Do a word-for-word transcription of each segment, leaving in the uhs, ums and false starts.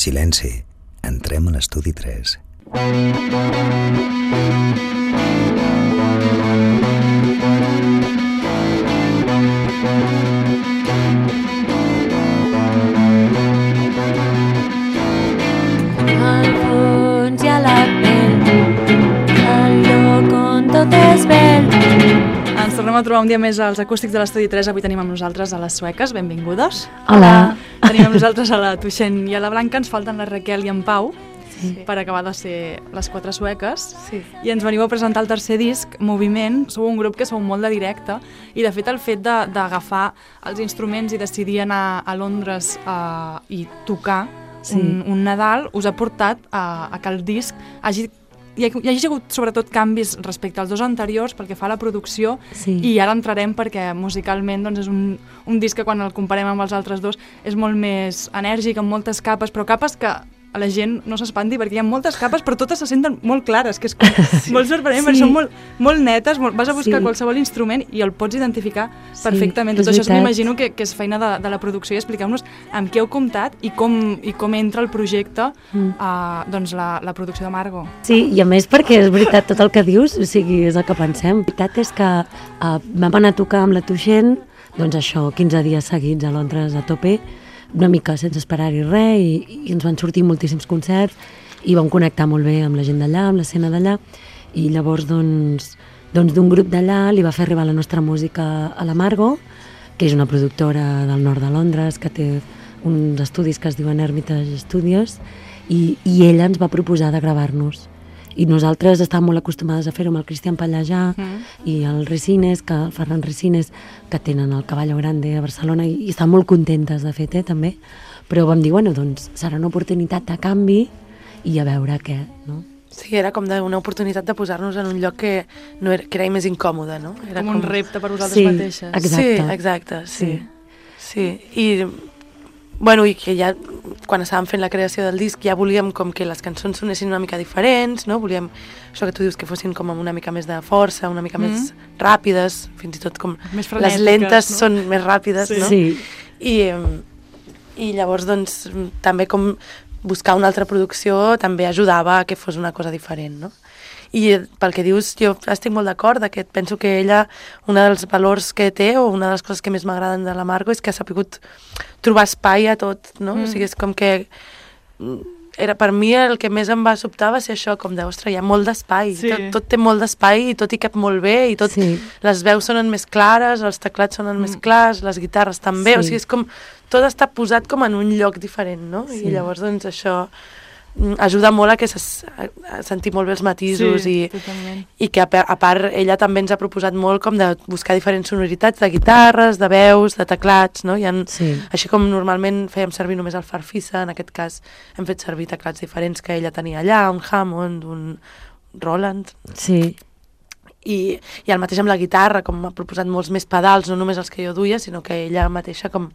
Silenci, entrem a l'estudi tres. Al fons hi ha la pell, el lloc on tot és vell. Ens tornem a trobar un dia més als acústics de l'Estudi tres. Avui tenim amb nosaltres a les sueques, benvingudes. Hola. Tenim amb nosaltres a la Tuixent i a la Blanca, ens falten la Raquel i en Pau, sí, per acabar de ser les quatre sueques. Sí. I ens veniu a presentar el tercer disc, Moviment. Sou un grup que sou molt de directe i de fet el fet d'agafar els instruments i decidir anar a Londres uh, i tocar sí. un, un Nadal us ha portat a, a que el disc hagi hi ha, hi ha hagut sobretot canvis respecte als dos anteriors pel que fa a la producció sí. i ara entrarem perquè musicalment doncs, és un, un disc que quan el comparem amb els altres dos és molt més enèrgic, amb moltes capes, però capes que a la gent no s'espanti perquè hi ha moltes capes però totes se senten molt clares, que és com, sí. molt sorprenent, sí. perquè són molt, molt netes, molt, vas a buscar sí. qualsevol instrument i el pots identificar sí, perfectament. Tot això m'imagino que, que és feina de, de la producció i expliqueu-nos amb què heu comptat i com, i com entra el projecte mm. a doncs la, la producció de Margo. Sí, i a més perquè és veritat tot el que dius, o sigui, és el que pensem. La veritat és que uh, vam anar a tocar amb la Tuixent, doncs això, quinze dies seguits a Londres a tope, una mica sense esperar-hi res i, i ens van sortir moltíssims concerts i vam connectar molt bé amb la gent d'allà, amb l'escena d'allà i llavors doncs d'un doncs, grup d'allà li va fer arribar la nostra música a la Margo, que és una productora del nord de Londres que té uns estudis que es diuen Hermitage Studios i, i ella ens va proposar de gravar-nos i nosaltres estàvem molt acostumades a fer-ho amb el Cristian Pallajà mm. i el Resines, que, el Ferran Resines, que tenen el Caballo Grande a Barcelona i, i estan molt contentes de fet, eh, també. Però vam dir, bueno, doncs serà una oportunitat de canvi i a veure què, no? Sí, era com una oportunitat de posar-nos en un lloc que, no era, que era més incòmode, no? Era com, com un repte per vosaltres sí, mateixes. Exacte. Sí, exacte, sí. Sí, sí. I... Bueno, i que ja, quan estàvem fent la creació del disc, ja volíem com que les cançons sonessin una mica diferents, no? Volíem, això que tu dius, que fossin com amb una mica més de força, una mica mm. més ràpides, fins i tot com més les lentes no? són més ràpides, sí. no? Sí. I, I llavors, doncs, també com buscar una altra producció també ajudava a que fos una cosa diferent, no? I pel que dius, jo estic molt d'acord, que penso que ella, un dels valors que té, o una de les coses que més m'agraden de la Margo, és que ha sabut trobar espai a tot, no? Mm. O sigui, és com que... Era, per mi el que més em va sobtar va ser això, com de, ostres, hi ha molt d'espai, sí. tot, tot té molt d'espai i tot hi cap molt bé, i tot, sí. les veus sonen més clares, els teclats sonen mm. més clars, les guitarres també, sí. o sigui, és com, tot està posat com en un lloc diferent, no? Sí. I llavors, doncs, això... ajuda molt a que se, a sentir molt bé els matisos sí, i, i que a, a part ella també ens ha proposat molt com de buscar diferents sonoritats de guitarres, de veus, de teclats, no? I en, sí. Així com normalment fèiem servir només el Farfisa, en aquest cas hem fet servir teclats diferents que ella tenia allà, un Hammond, un Roland. Sí. I, i el mateix amb la guitarra, com m'ha proposat molts més pedals, no només els que jo duia, sinó que ella mateixa com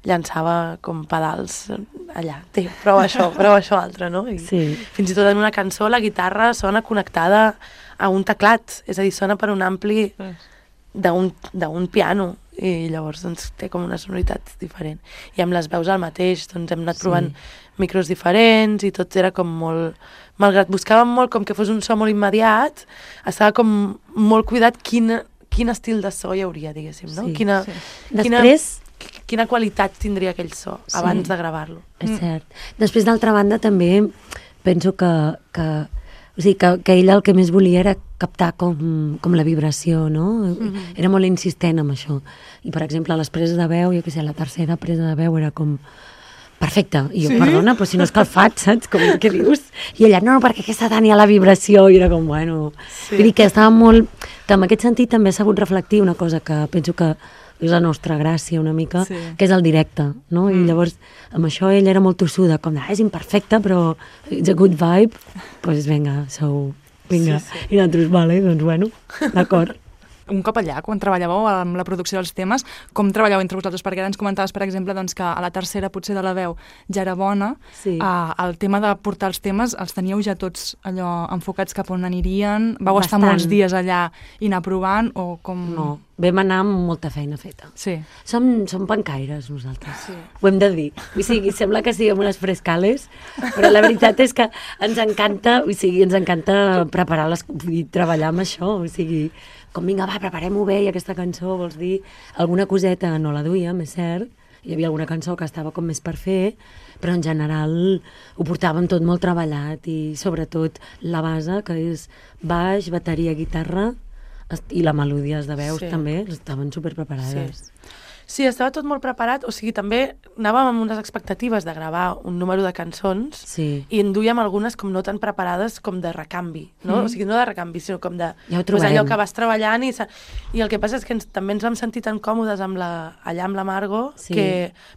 llançava com pedals allà, té, prova això, prova això altre, no? I sí. Fins i tot en una cançó la guitarra sona connectada a un teclat, és a dir, sona per un ampli d'un piano, i llavors doncs, té com una sonoritat diferent. I amb les veus el mateix, doncs hem anat provant sí. micros diferents i tot era com molt... Malgrat buscàvem molt com que fos un so molt immediat, estava com molt cuidat quin, quin estil de so hi hauria, diguéssim, no? Sí, quina, sí. Quina, Després... quina qualitat tindria aquell so sí. abans de gravar-lo. És cert. Després, d'altra banda, també penso que, que, o sigui, que, que ella el que més volia era captar com, com la vibració, no? Mm-hmm. Era molt insistent amb això. I, per exemple, a les preses de veu, jo què sé, la tercera presa de veu era com... perfecte, i jo, sí? Perdona, però si no és que el faig, saps? Com, què dius? I ella, no, no, perquè aquesta tenia la vibració, i era com, bueno... Sí. Vull dir que estava molt... Que en aquest sentit també ha sabut reflectir una cosa que penso que és la nostra gràcia una mica, sí. que és el directe, no? Mm. I llavors, amb això ella era molt tossuda, com, ah, és imperfecte, però it's a good vibe, doncs pues, vinga, sou... Vinga, sí, sí. I nosaltres, vale, doncs bueno, d'acord. un cop allà, quan treballàveu amb la producció dels temes, com treballeu entre vosaltres? Perquè ara ens comentaves, per exemple, doncs, que a la tercera potser de la veu ja era bona, sí. uh, el tema de portar els temes els teníeu ja tots allò enfocats cap on anirien? Vau Bastant. estar molts dies allà i anar provant o com... No, vam anar amb molta feina feta. Sí. Som, som pancaires, nosaltres. Sí. Ho hem de dir. O sigui, sembla que siguem unes frescales, però la veritat és que ens encanta, o sigui, ens encanta preparar les, i treballar amb això, o sigui, com vinga, va, preparem-ho bé, i aquesta cançó, vols dir, alguna coseta no la duíem, és cert, hi havia alguna cançó que estava com més per fer, però en general ho portàvem tot molt treballat i sobretot la base, que és baix, bateria, guitarra, i la melodies de veus sí. també, estaven superpreparades. Sí. sí, estava tot molt preparat, o sigui, també anàvem amb unes expectatives de gravar un número de cançons Sí. i en duíem algunes com no tan preparades com de recanvi, no? Mm. O sigui, no de recanvi, sinó com de... Ja ho pues, trobarem. allò que vas treballant i, sa- i el que passa és que ens, també ens vam sentir tan còmodes amb la, allà amb la Margo Sí. que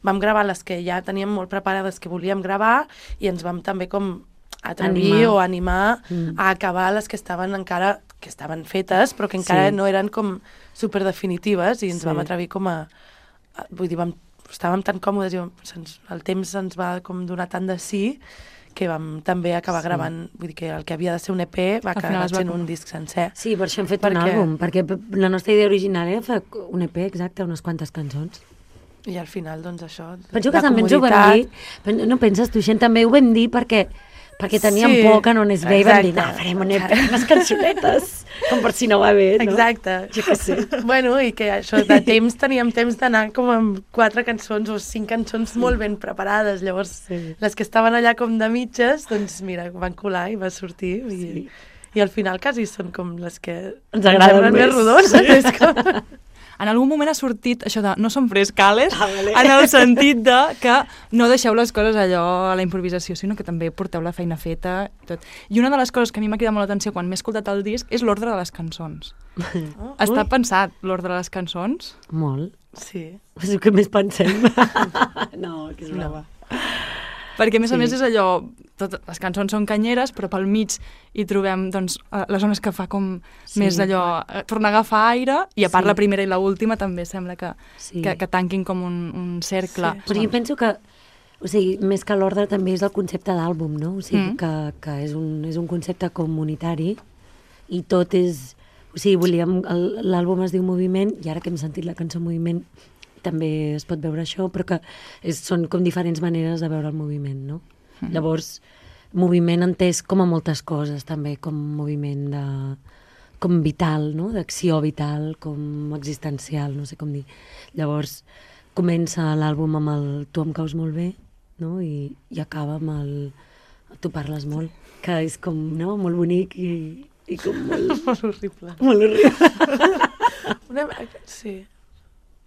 vam gravar les que ja teníem molt preparades que volíem gravar i ens vam també com atrevir Animar. o animar Mm. a acabar les que estaven encara que estaven fetes però que encara Sí. no eren com superdefinitives i ens Sí. vam atrevir com a, a vull dir, vam, estàvem tan còmodes i se'ns, el temps ens va com donar tant de sí que vam també acabar Sí. gravant, vull dir que el que havia de ser un E P va Al final acabar es va sent com- un disc sencer. Sí, per això hem fet Perquè- un àlbum, perquè la nostra idea original era fer un E P exacte, unes quantes cançons. I al final, doncs, això... Penso la que també ens ho vam comoditat- dir, pen- no penses tu, Xen, també ho vam dir perquè perquè teníem Sí, por que no anés bé i vam dir, exacte. no, farem un E P, unes cançonetes, com per si no va bé, no? Exacte. Jo què sé. Bueno, i que això, de temps teníem temps d'anar com amb quatre cançons o cinc cançons molt ben preparades. Llavors, Sí. les que estaven allà com de mitges, doncs mira, van colar i va sortir. I, Sí. i al final quasi són com les que Ens agraden semblen més més. rodones. És com... En algun moment ha sortit això de no som frescales, Ah, vale. en el sentit de que no deixeu les coses allò a la improvisació, sinó que també porteu la feina feta i tot. I una de les coses que a mi m'ha cridat molt l'atenció quan m'he escoltat el disc és l'ordre de les cançons. Oh, Està pensat l'ordre de les cançons? Molt. sí. És el que més pensem. no, que és brava. Perquè, a més a Sí. més, és allò... Tot, les cançons són canyeres, però pel mig hi trobem doncs, eh, les zones que fa com Sí. més d'allò... Eh, tornar a agafar aire, i a part Sí. la primera i l'última també sembla que, Sí. que, que tanquin com un, un cercle. Sí. Però jo penso que, o sigui, més que l'ordre també és el concepte d'àlbum, no? O sigui, Mm. que, que és, un, és un concepte comunitari i tot és... O sigui, volíem... el- L'àlbum es diu Moviment i ara que hem sentit la cançó Moviment també es pot veure això, però que és, són com diferents maneres de veure el moviment, no? Mm. Llavors, moviment entès com a moltes coses, també, com moviment de... com vital, no? D'acció vital, com existencial, no sé com dir. Llavors, comença l'àlbum amb el Tu em caus molt bé, no? I, i acaba amb el Tu parles molt, que és com, no?, molt bonic i, i com molt... Molt horrible. molt horrible. Una... Sí.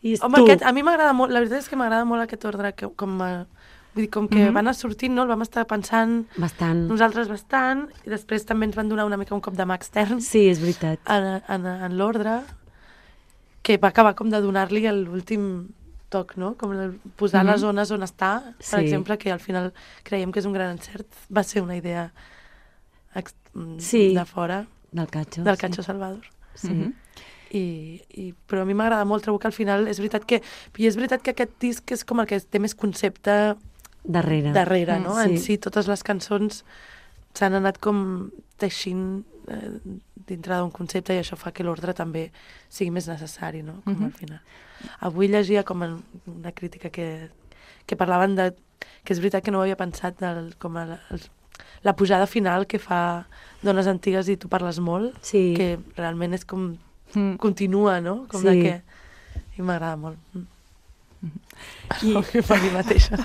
I és Home, tu. aquest, a mi m'agrada molt, la veritat és que m'agrada molt aquest ordre, que, com, a, vull dir, com que Mhm. va anar sortint, no? El vam estar pensant Bastant. nosaltres bastant, i després també ens van donar una mica un cop de mà extern Sí, és veritat. en, en, en l'ordre, que va acabar com de donar-li l'últim toc, no? Com el, posar Mhm. les zones on està, per Sí. exemple, que al final creiem que és un gran encert, va ser una idea ex, Sí. de fora, Del Catxo. del sí. Catxo Salvador. Sí. Mhm. I, i, però a mi m'agrada molt, trobo que al final és veritat que, i és veritat que aquest disc és com el que té més concepte Darrere. darrere, Mm, no? sí. En si totes les cançons s'han anat com teixint eh, dintre d'un concepte i això fa que l'ordre també sigui més necessari, no? Com Mhm. al final. Avui llegia com en una crítica que, que parlaven de... que és veritat que no ho havia pensat del, com a la, el, la pujada final que fa Dones Antigues i Tu parles molt, Sí. que realment és com... Mm. continua, no? Com Sí. de que... I m'agrada molt. Mm. I- I... per mi mateixa.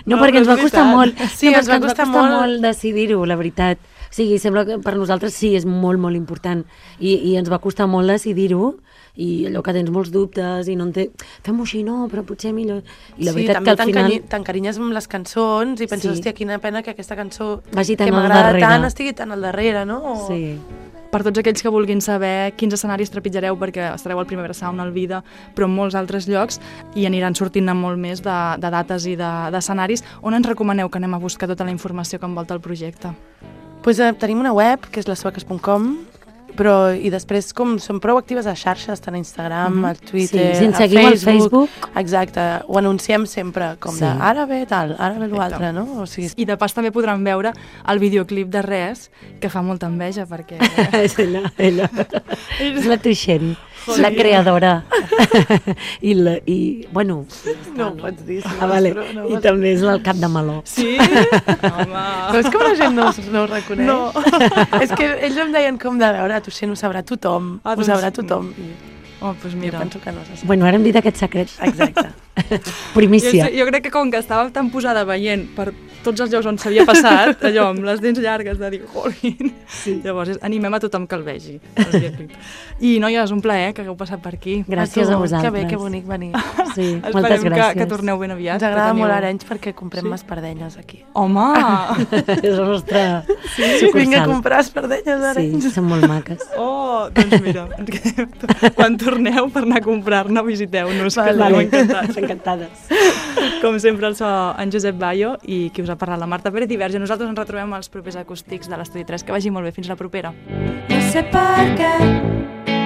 No, No, perquè però ens va és costar veritat. molt. Sí, no, ens va perquè costar ens va costar molt. molt decidir-ho, la veritat. O sigui, sembla que per nosaltres sí, és molt, molt important. I, i ens va costar molt decidir-ho, i allò que tens molts dubtes, i no en té... Fem-ho així, no, però potser millor... I la sí, veritat també que al final... t'encarinyes amb les cançons i penses, Sí. hòstia, quina pena que aquesta cançó Vagi tan que al m'agrada darrere. tant estigui tan al darrere, no? O... Sí. Per tots aquells que vulguin saber quins escenaris trepitjareu, perquè estareu al Primavera Sound, al Vida, però en molts altres llocs, i aniran sortint amb molt més de, de dates i d'escenaris, de, on ens recomaneu que anem a buscar tota la informació que envolta el projecte? Pues, eh, tenim una web, que és les sueques punt com, però i després com són prou actives a xarxes, tant a Instagram, mm-hmm. al Twitter, sí, si ens a seguim Facebook. al Facebook. Exacte, ho anunciem sempre, com sí. de ara ve tal, ara ve l'altre, no? O sigui... I de pas també podran veure el videoclip de Res, que fa molta enveja, perquè... És ella, ella. És la Tuixent, la creadora. I, la, i bueno... No ho pots dir. Ah, vale. No I també és el cap de meló. Sí? Home... Però és que la gent no, no ho reconeix. No. És que ells em deien com de veure, a Tuixent ho sabrà tothom, ah, doncs... ho sabrà tothom. Oh, doncs mira. Jo penso que no se sap. Bueno, ara hem dit aquest secret. Exacte. Jo, Primícia. jo crec que com que estava tan posada veient per tots els llocs on s'havia passat, allò, amb les dents llargues, de dir, jolín. Sí. Llavors, animem a tothom que el vegi. I, noies, un plaer que hagueu passat per aquí. Gràcies a, a vosaltres. Que bé, que bonic venir. Sí, Esperem moltes gràcies. Que, que torneu ben aviat. Ens agrada teniu... molt Arenys perquè comprem sí? espardenyes aquí. Home! És la nostra sí, sucursal. Vinc a comprar espardenyes d'Arenys. Sí, són molt maques. Oh, doncs mira, quan torneu per anar a comprar-ne, visiteu-nos, vale. que estareu encantats. Encantades. Com sempre, el so en Josep Bayo i qui us ha parlat, la Marta Pérez i Verge. Nosaltres ens retrobem als propers acústics de l'Estudi tres. Que vagi molt bé. Fins la propera. No sé per què